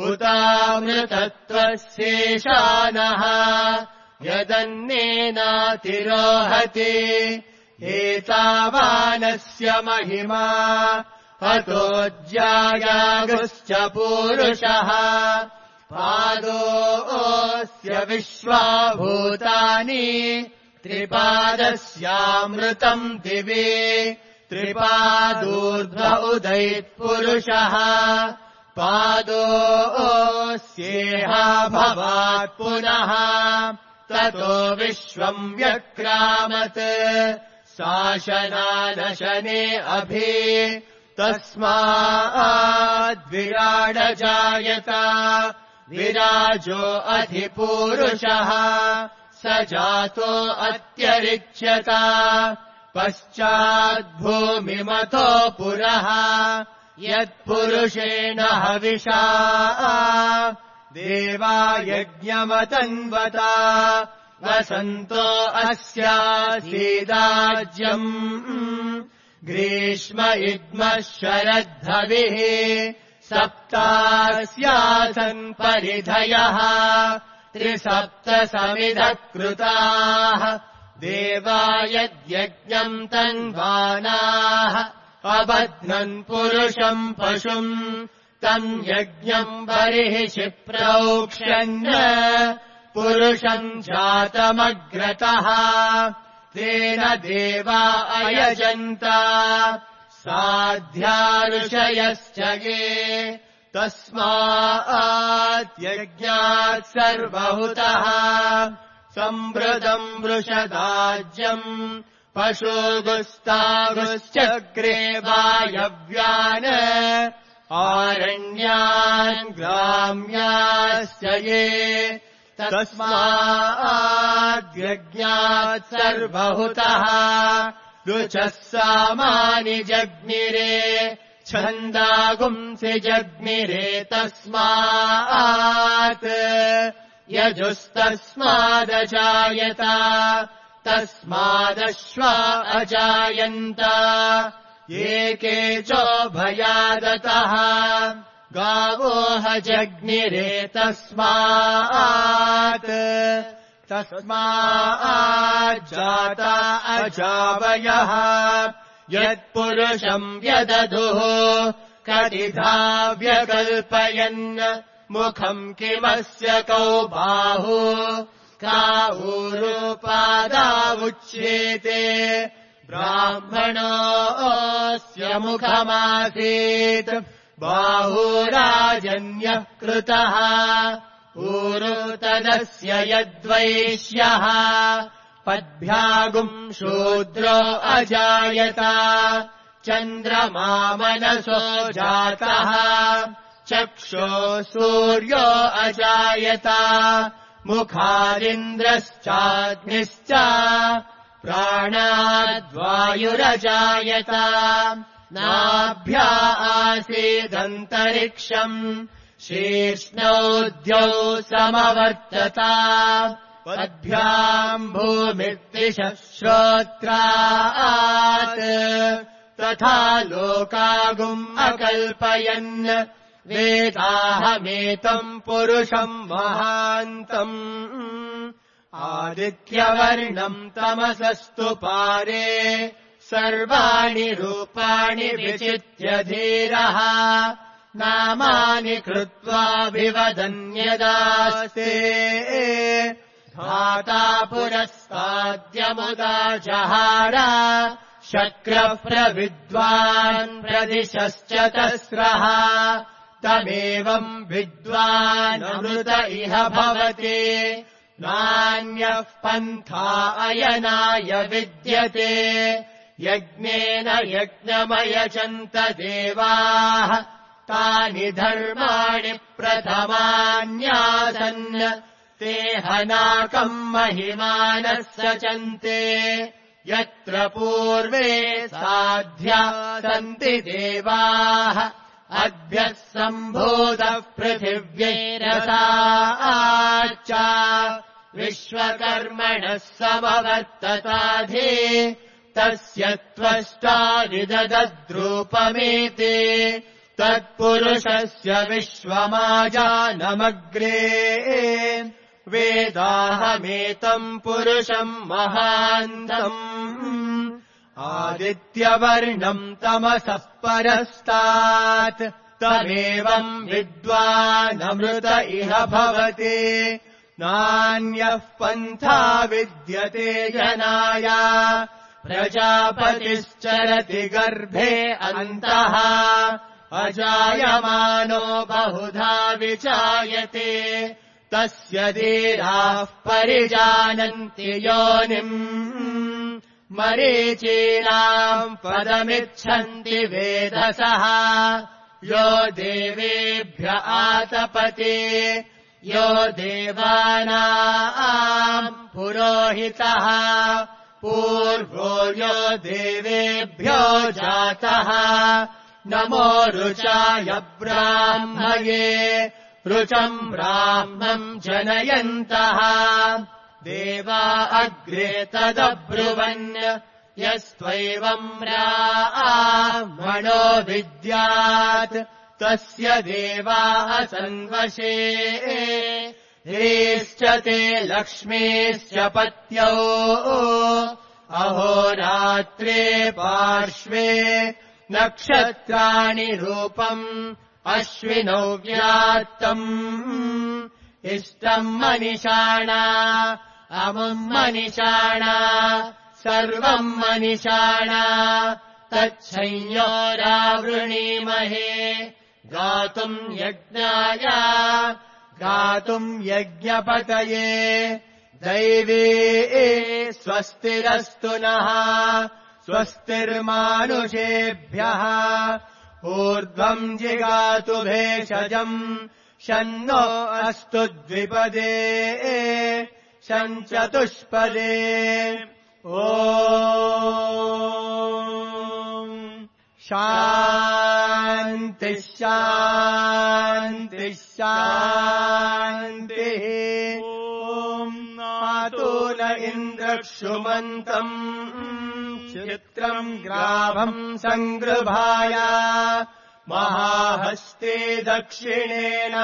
उतामृतत्वशेषानः यदन्नेनातिरोहति एतावानस्य महिमा अतोऽज्यायागुश्च पूरुषः पादोऽस्य विश्वाभूतानि त्रिपादस्यामृतम् दिवे त्रिपादूर्ध्व उदैत्पुरुषः पादोऽस्येहा भवात् पुनः ततो विश्वम् व्यक्रामत् शासनानशने अभि तस्माद्विराडजायत विराजो अधिपूरुषः स जातो अत्यरिच्यत पश्चाद्भूमिमतो पुरः यत्पुरुषेण हविषा देवा यज्ञमतन्वता वसन्तो अस्यासीदाज्यम् ग्रीष्म इद्मः शरद्धविः सप्तास्यासन् परिधयः त्रिसप्तसमिधः कृताः देवा यद्यज्ञम् तन्वानाः अबध्नन् पुरुषम् पशुम् तम् यज्ञम् बर्हिषि प्रोक्ष्यन् पुरुषम् जातमग्रतः तेन देवा अयजन्त साध्या ऋषयश्च ये तस्मात् यज्ञात् सर्वहुतः सम्भृतम् वृषदाज्यम् पशुगुस्तागुश्चक्रे वायव्यान् आरण्यान् ग्राम्याश्च ये तस्माद्यज्ञात् सर्वहुतः रुचः सामानि जग्निरे छन्दागुंसि जग्निरे तस्मात् यजुस्तस्मादजायत तस्मादश्वा अजायन्त एके चोभयादतः गावो ह जग्निरे तस्मात् तस्माज्जाता अजावयः यत्पुरुषम् व्यदधुः कतिधा व्यकल्पयन् मुखम् किमस्य कौ बाहु का ऊरुपादावुच्येते ब्राह्मणोऽस्य मुखमासीत् बाहुराजन्यः कृतः ऊरु तदस्य यद्वैश्यः पद्भ्यागुम् शूद्रो अजायत चन्द्रमा मनसो जातः चक्षो सूर्यो अजायत मुखादिन्द्रश्चाग्निश्च प्राणाद्वायुरजायत नाभ्या आसीदन्तरिक्षम् शीर्ष्णौ द्यौ समवर्तत पद्भ्याम् भूमिर्दिशः श्रोत्रात् तथा लोकागुम् अकल्पयन् वेदाहमेतम् पुरुषम् महान्तम् आदित्यवर्णम् तमसस्तु पारे सर्वाणि रूपाणि विचित्य धीरः नामानि कृत्वाभिवदन्यदास्ते धाता पुरस्ताद्यमुदा जहार शक्रः प्रविद्वान् प्रदिशश्च तस्रः तमेवम् विद्वानमृत इह भवति नान्यः पन्था अयनाय विद्यते यज्ञेन यज्ञमयजन्त देवाः तानि धर्माणि प्रथमान्यासन् ते हनाकम् महिमानः सचन्ते यत्र पूर्वे साध्या सन्ति देवाः अद्भ्यः सम्भूतः पृथिव्यैरसाच्च विश्वकर्मणः समवर्तताधि तस्य त्वष्टादिदद्रूपमेति तत्पुरुषस्य विश्वमाजानमग्रे वेदाहमेतम् पुरुषम् महान्तम् आदित्यवर्णम् तमसः परस्तात् तमेवम् विद्वानमृत इह भवति नान्यः पन्था विद्यते जनाय प्रजापतिश्चरति गर्भे अन्तः अजायमानो बहुधा विजायते तस्य धीराः परिजानन्ति योनिम् मरीचीनाम् पदमिच्छन्ति वेधसः यो देवेभ्य आतपते यो देवानाम् पुरोहितः पूर्वो यो देवेभ्यो जातः नमो रुचाय ब्राह्मये रुचम् ब्राह्मम् जनयन्तः देवा अग्रे तदब्रुवन् यस्त्वैवम् ब्राह्मणो विद्यात् तस्य देवाः सन्वशे ह्रीश्च ते लक्ष्मीश्च पत्यौ अहोरात्रे पार्श्वे नक्षत्राणि रूपम् अश्विनौ व्यात्तम् इष्टम् मनिषाणा अमुम् मनिषाणा सर्वम् मनिषाणा तच्छंयोरावृणीमहे गातुम् यज्ञाय गातुम् यज्ञपतये दैवे स्वस्तिरस्तु नः स्वस्तिर्मानुषेभ्यः ऊर्ध्वम् जिगातु भेषजम् शन्नो अस्तु द्विपदे शञ्चतुष्पदे ॐ शान्तिः शान्तिः शान्तिः ॐ नातो न इन्द्रक्षुमन्तम् चित्रम् ग्राभम् सङ्गृभाय महाहस्ते दक्षिणेन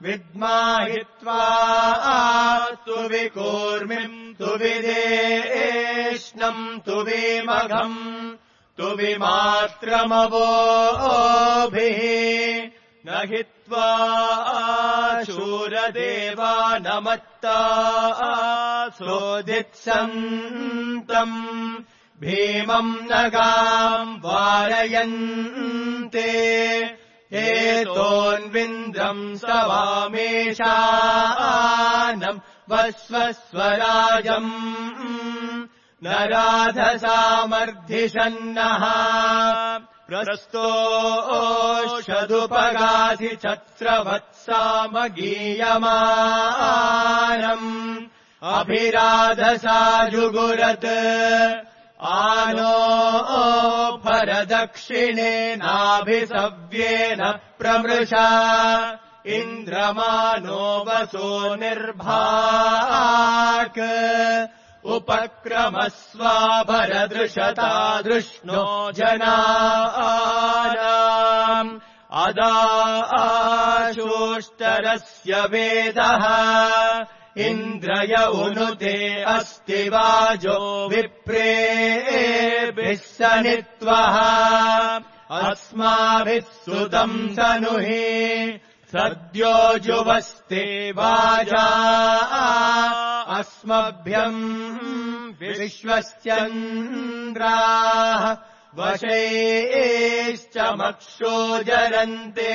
विद्माहित्वा तु विकूर्मिम् तु विदेष्णम् तु विमघम् तु विमात्रमवोभिः न हित्वा शूरदेवानमत्ता सोदित्सन्तम् भीमम् नगाम् वारयन्ते एतोऽन्विन्द्रम् सवामेशानम् वस्वस्वराजम् न राधसामर्धिषन्नः प्रस्तोषदुपगाधि छत्रवत्सामगीयमानम् अभिराधसा जुगुरत् आनो परदक्षिणेनाभिसव्येन प्रमृषा इन्द्रमानो वसो निर्भाक् उपक्रमस्वाभरदृशता दृष्णो जनानाम् अदाशोष्टरस्य वेदः इन्द्रय उनुते अस्ति वाजो विप्रेभिः सनित्वः अस्माभिः सुतम् सनुहि सद्यो जुवस्ते वाजा अस्मभ्यम् विश्वस्यन्द्राः वशैश्च मक्षो जरन्ते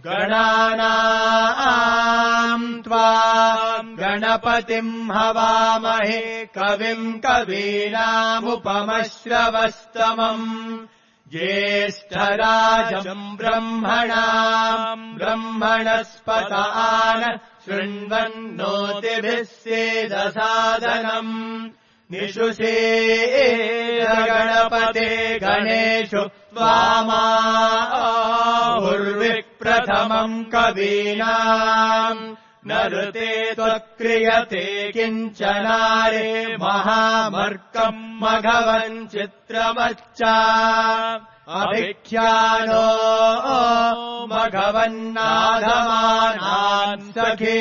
गणानाम् त्वाम् गणपतिम् हवामहे कविम् कवीनामुपमश्रवस्तमम् ज्येष्ठराजम् ब्रह्मणाम् ब्रह्मणस्पतान शृण्वन्नोतिभिः सेदसादनम् निषुषेरगणपते गणेषु त्वामाहुर्विप्रथमम् कवीनाम् न ऋते त्वक्रियते किञ्चनारे महामर्कम् मघवन् चित्रमच्च अभिख्यानो मघवन्नाधमानान् सखे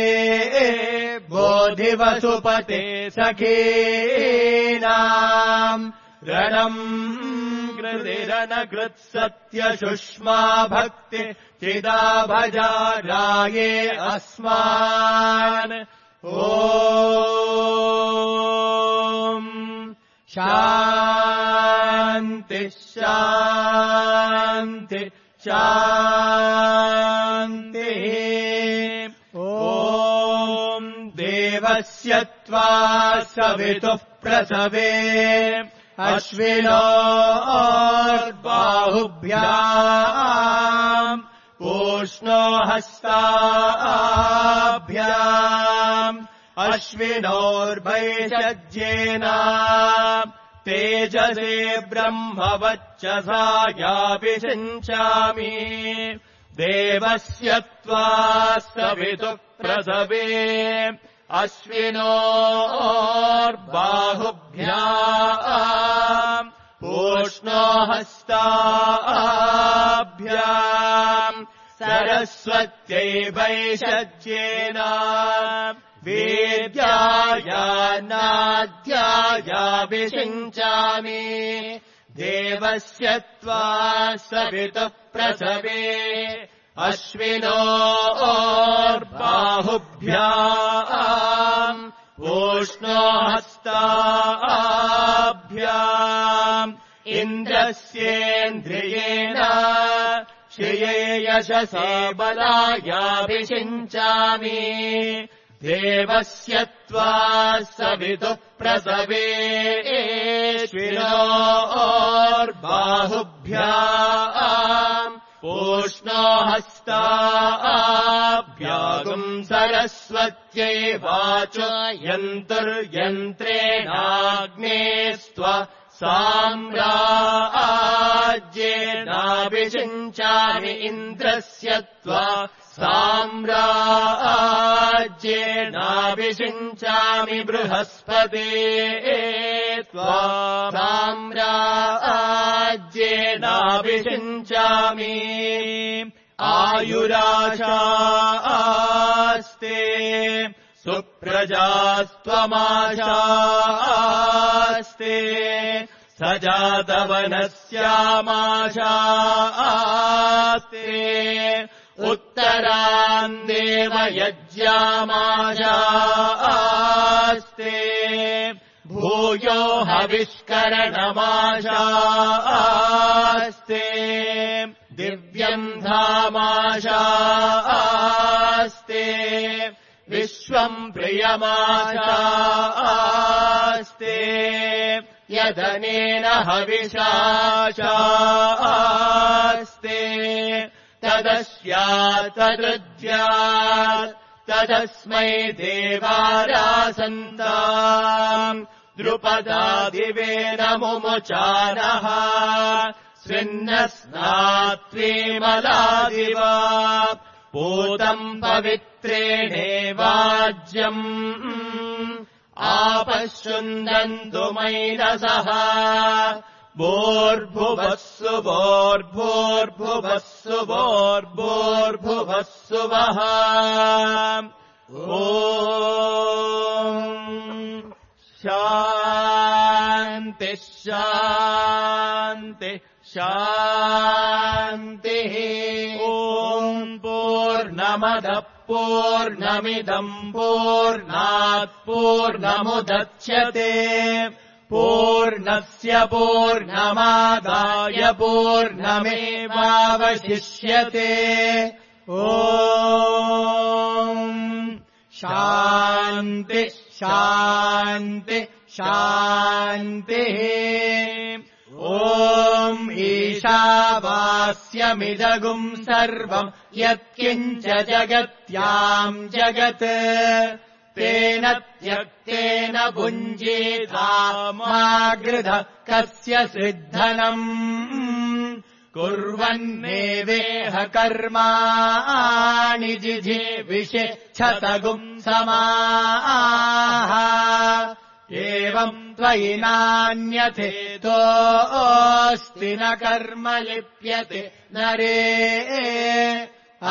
बोधिवसुपते सखीनाम् रणम् कृतिरनकृत्सत्यशुष्मा भक्ति चिदा भजा राये अस्मान् ॐ शान्ति शान्ति शान्तिः ॐ देवस्य त्वा सवितुः प्रसवे अश्विनोर्बाहुभ्याम् पूष्णो हस्ताभ्याम् अश्विनोर्भैषज्येन तेजसे ब्रह्मवच्चसायाभिषिञ्चामि देवस्य त्वा सवितुः प्रसवे अश्विनोर्बाहुभ्याम् पूष्णो हस्ताभ्याम् सरस्वत्यै वैषज्येन वेद्यायान्नाद्यायाभिषिञ्चामि देवस्य त्वा सवितुः प्रसवे अश्विनोर्बाहुभ्याम् पूष्णो हस्ताभ्याम् इन्द्रस्येन्द्रियेण श्रिये यशसे बलायाभिषिञ्चामि देवस्य त्वा सवितुः प्रसवे अश्विनोर्बाहुभ्याम् पूष्णो हस्ताभ्याम् सरस्वत्यै वाचो यन्तुर्यन्त्रेणाग्नेस्त्वा साम्राज्येनाभिषिञ्चामि इन्द्रस्य त्वा साम्राज्येनाभिषिञ्चामि बृहस्पते त्वा साम्राज्येनाभिषिञ्चामि आयुराशा सुप्रजास्त्वमाशास्ते सजातवनस्यामाशास्ते उत्तरान् देवयज्ञामाशास्ते भूयो हविष्करणमाशास्ते दिव्यम् धामाशास्ते विश्वम् प्रियमाशास्ते यदनेन हविषाशास्ते तदस्यात्तदृज्यात् तदस्मै देवारासन्ताम् द्रुपदादिवेदमुमुचानः स्विन्नस्नात्वेमलादिवा पूतम् पवित्रेणेवाज्यम् आपश्युन्दन्तु मैनसः भोर्भुवस्सु भोर्भोर्भुवस्सु भोर्भोर्भुवस्सु वः ॐ शान्ति शान्ति शान्तिः ॐ पूर्णमदः पूर्णमिदम् पूर्णात् पूर्णमुदच्यते पूर्णस्य पूर्णमादाय पूर्णमेवावशिष्यते ॐ शान्ति शान्ति शान्तिः ॐ ईशावास्यमिदगुम् सर्वम् यत्किञ्च जगत्याम् जगत् तेन त्यक्तेन भुञ्जीतामागृध कस्य सिद्धनम् कुर्वन्नेवेह कर्माणि जिजीविषे क्षतगुम् समाः एवम् त्वयि नान्यथेतोऽस्ति न कर्म लिप्यते नरे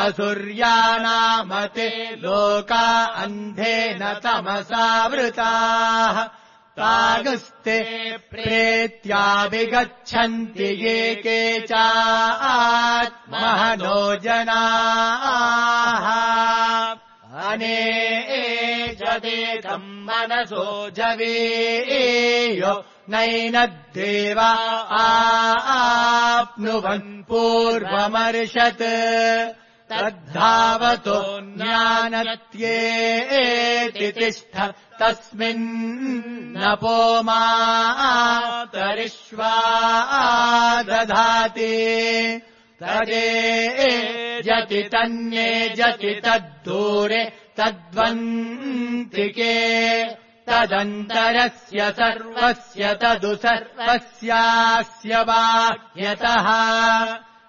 असुर्यानामते लोका अन्धेन तमसावृताः तागस्ते प्रेत्याभिगच्छन्ति ये केचात्महनो जनाः अनेजदेकम् मनसो जवेयो नैनद्देवा आप्नुवन् पूर्वमर्षत् तद्धावतो ज्ञानत्येति तिष्ठ तस्मिन्नपो मातरिष्वा दधाति तदे जति तन्ये जति तद्दूरे तद्वन्तिके तदन्तरस्य सर्वस्य तदु सर्वस्यास्य बाह्यतः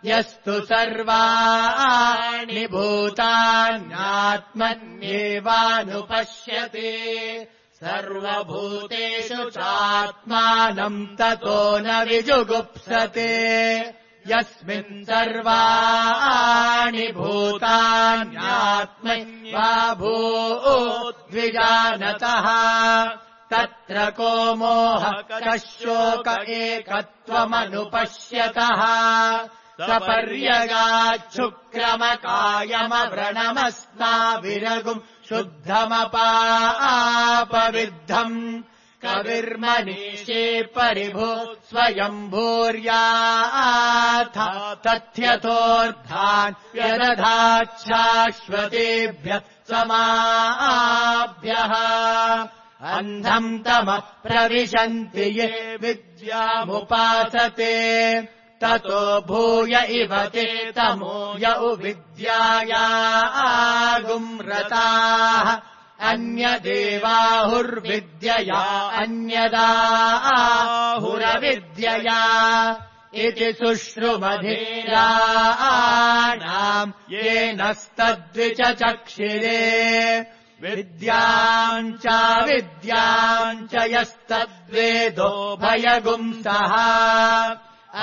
यस्तु सर्वाणि भूतान्यात्मन्येवानुपश्यति सर्वभूतेषु चात्मानम् ततो न विजुगुप्सते यस्मिन् सर्वाणि भूतान्यात्मन्येवा भूद्विजानतः तत्र को मोहः कः शोक एकत्वमनुपश्यतः सपर्यगाच्छुक्रमकायमव्रणमस्नाविरगुम् शुद्धमपापविद्धम् कविर्मनीषे परिभो स्वयम्भूर्याथा तथ्यथोऽर्थान् व्यदधाच्छाश्वतेभ्यः समाभ्यः अन्धम् तमः प्रविशन्ति ये विद्यामुपासते ततो भूय इव ते तमो य उविद्यायागुम्रताः अन्यदेवाहुर्विद्यया अन्यदाहुरविद्यया इति शुश्रुमधीराणाम् येनस्तद्विचचक्षिरे विद्याम् च विद्याम् च यस्तद्वेदो भयगुंसः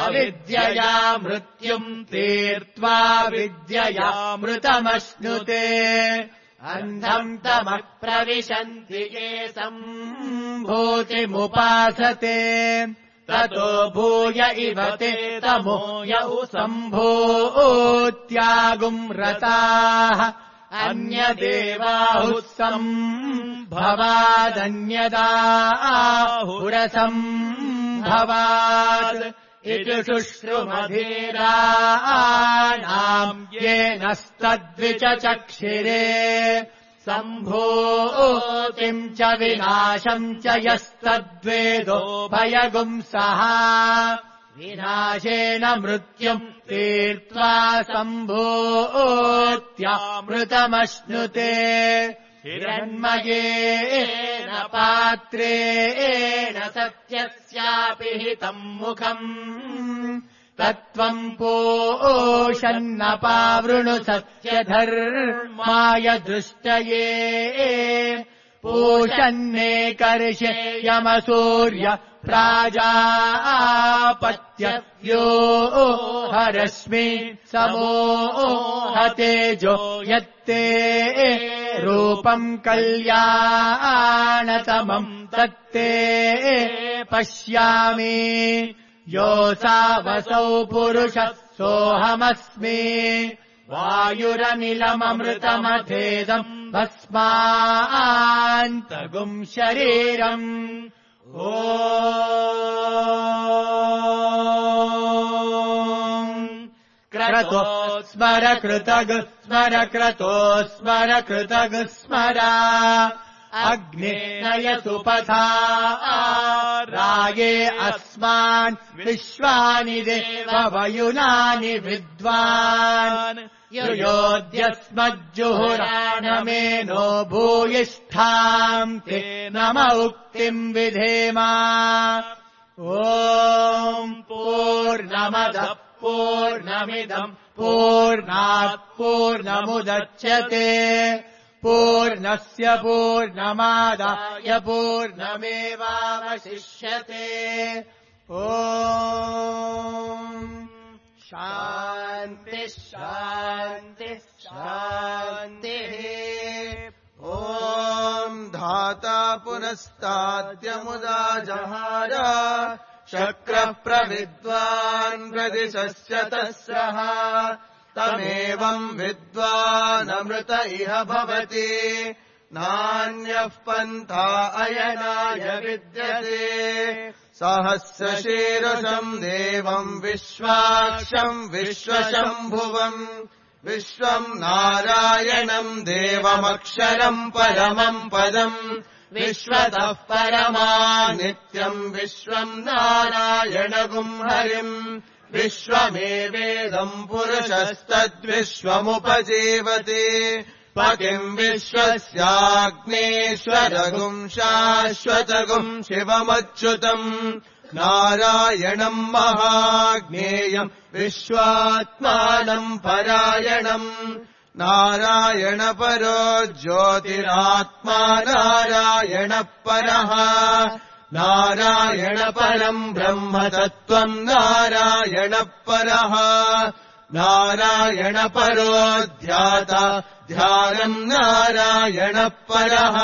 अविद्यया मृत्युम् तीर्त्वा विद्यया मृतमश्नुते अन्धम् तमः प्रविशन्ति ये सम्भूतिमुपासते ततो भूय इव ते तमो यौ सम्भूत्यागुम् रताः अन्यदेवाहुः सम्भवादन्यदाहुरसम्भवात् इति शुश्रुमधीराणाम् येनस्तद्विचचक्षिरे सम्भूतिम् च विनाशम् च यस्तद्वेदो भयगुंसः विनाशेन मृत्युम् तीर्त्वा सम्भूत्यामृतमश्नुते हिरण्मयेन पात्रेण सत्यस्यापि हितम् मुखम् तत्त्वम् पोषन्नपावृणु सत्यधर्माय दृष्टये पूषन्नेकर्षे यमसूर्य प्राजापत्ययो हरश्मि समो हतेजो यत्ते रूपम् कल्याणतमम् तत्ते पश्यामि योऽसावसौ पुरुषः सोऽहमस्मि वायुरनिलममृतमथेदम् भस्मान्तगुम् शरीरम् ॐ क्रतो स्मर कृतग स्मर क्रतो स्मर कृतग स्मर अग्नेय सुपथा राये अस्मान् विश्वानि देववयुनानि विद्वान् युयोद्यस्मज्जुहुराणमेनो भूयिष्ठाम् ते नम उक्तिम् विधेमा ॐ पूर्णमदः पूर्णमिदम् पूर्णात् पूर्णमुदच्यते पूर्णस्य पूर्णमादाय पूर्णमेवावशिष्यते ॐ शान्तिः शान्तिः शान्तिः ॐ धाता पुनस्ताद्यमुदा जहार शक्रः प्रविद्वान् प्रदिशस्य तस्रः तमेवम् विद्वानमृत इह भवति नान्यः पन्था अयनाय विद्यते सहस्रशीर्षम् देवम् विश्वाक्षम् विश्वशम्भुवम् विश्वम् नारायणम् देवमक्षरम् परमम् पदम् विश्वतः परमा नित्यम् विश्वम् नारायणगुम् हरिम् विश्वमेवेदम् पुरुषस्तद्विश्वमुपजीवति पतिम् विश्वस्याग्नेश्वरगुम् शाश्वतगुम् शिवमच्युतम् नारायणम् महाज्ञेयम् विश्वात्मानम् परायणम् नारायणपरो ज्योतिरात्मा नारायणः परः नारायणपरम् ब्रह्मतत्त्वम् नारायणः परः नारायणपरो ध्याता ध्यानम् नारायणः परः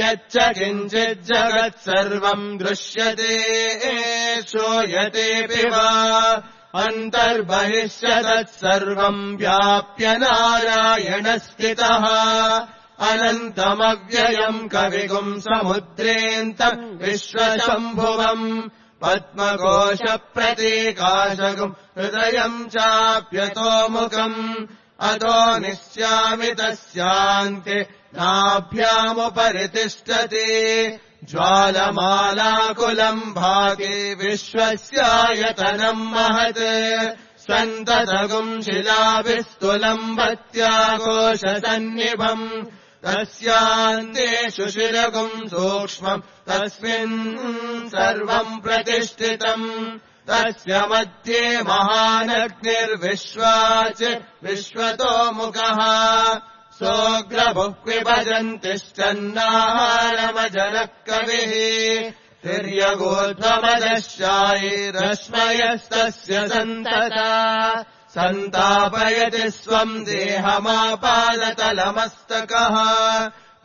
यच्च किञ्चिज्जगत् सर्वम् दृश्यते श्रूयतेऽपि वा अन्तर्बहिष्यतत् सर्वम् व्याप्य नारायणस्थितः अनन्तमव्ययम् कविगुम् समुद्रेऽन्तम् विश्वशम्भुवम् पद्मकोशप्रतीकाशगुम् हृदयम् चाप्यतोमुखम् अतो निश्यामि तस्यान्ते नाभ्यामुपरि तिष्ठति ज्वालमालाकुलम् भागे विश्वस्यायतनम् महत् सन्ततगुम् शिलाभिस्तुलम् भत्याकोशसन्निभम् तस्यान्ते शुशिरगुम् सूक्ष्मम् तस्मिन् सर्वम् प्रतिष्ठितम् तस्य मध्ये महानग्निर्विश्वाच विश्वतोमुखः सोऽग्रभुः विभजन्तिश्चन्नाहारमजरः कविः तिर्यगोध्वमदशायैरश्मयस्तस्य सन्तता सन्तापयति स्वम् देहमापादतलमस्तकः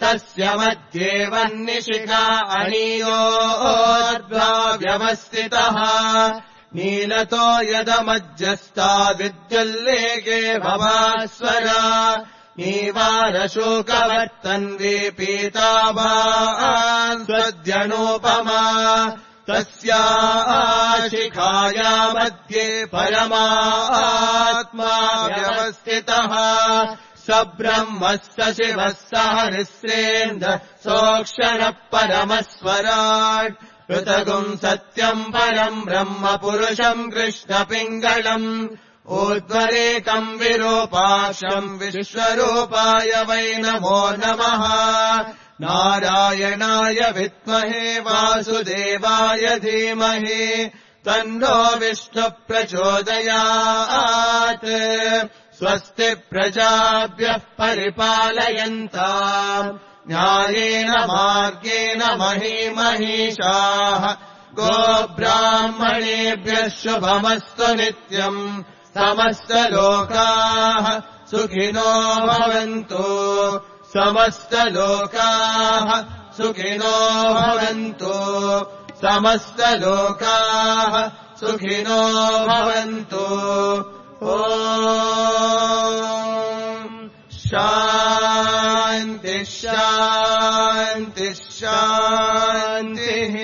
तस्य मध्ये वह्निशिखा अणीयोर्द्वाव्यवस्थितः नीलतो यदमध्यस्ताद्विद्युल्लेखे भवास्वरा नीवारशोकवर्तन्वी पीताभान् स्वद्यणोपमा तस्याः शिखाया मध्ये परमात्मा व्यवस्थितः स ब्रह्मः स शिवः स हरिश्रेन्द्रः सोऽक्षरः परमस्वराट् ऋतगुम् सत्यम् परम् ब्रह्म पुरुषम् कृष्णपिङ्गलम् ऊर्ध्वरेकम् विरूपाक्षम् विश्वरूपाय वै नमो नमः नारायणाय विद्महे वासुदेवाय धीमहि तन्नो विष्णुः प्रचोदयात् स्वस्ति प्रजाभ्यः परिपालयन्ताम् न्यायेन मार्गेण महीमहीषाः गोब्राह्मणेभ्यः शुभमस्तु नित्यम् समस्तलोकाः सुखिनो भवन्तु समस्तलोकाः सुखिनो भवन्तु समस्तलोकाः सुखिनो भवन्तु ॐ शान्तिः शान्तिः शान्तिः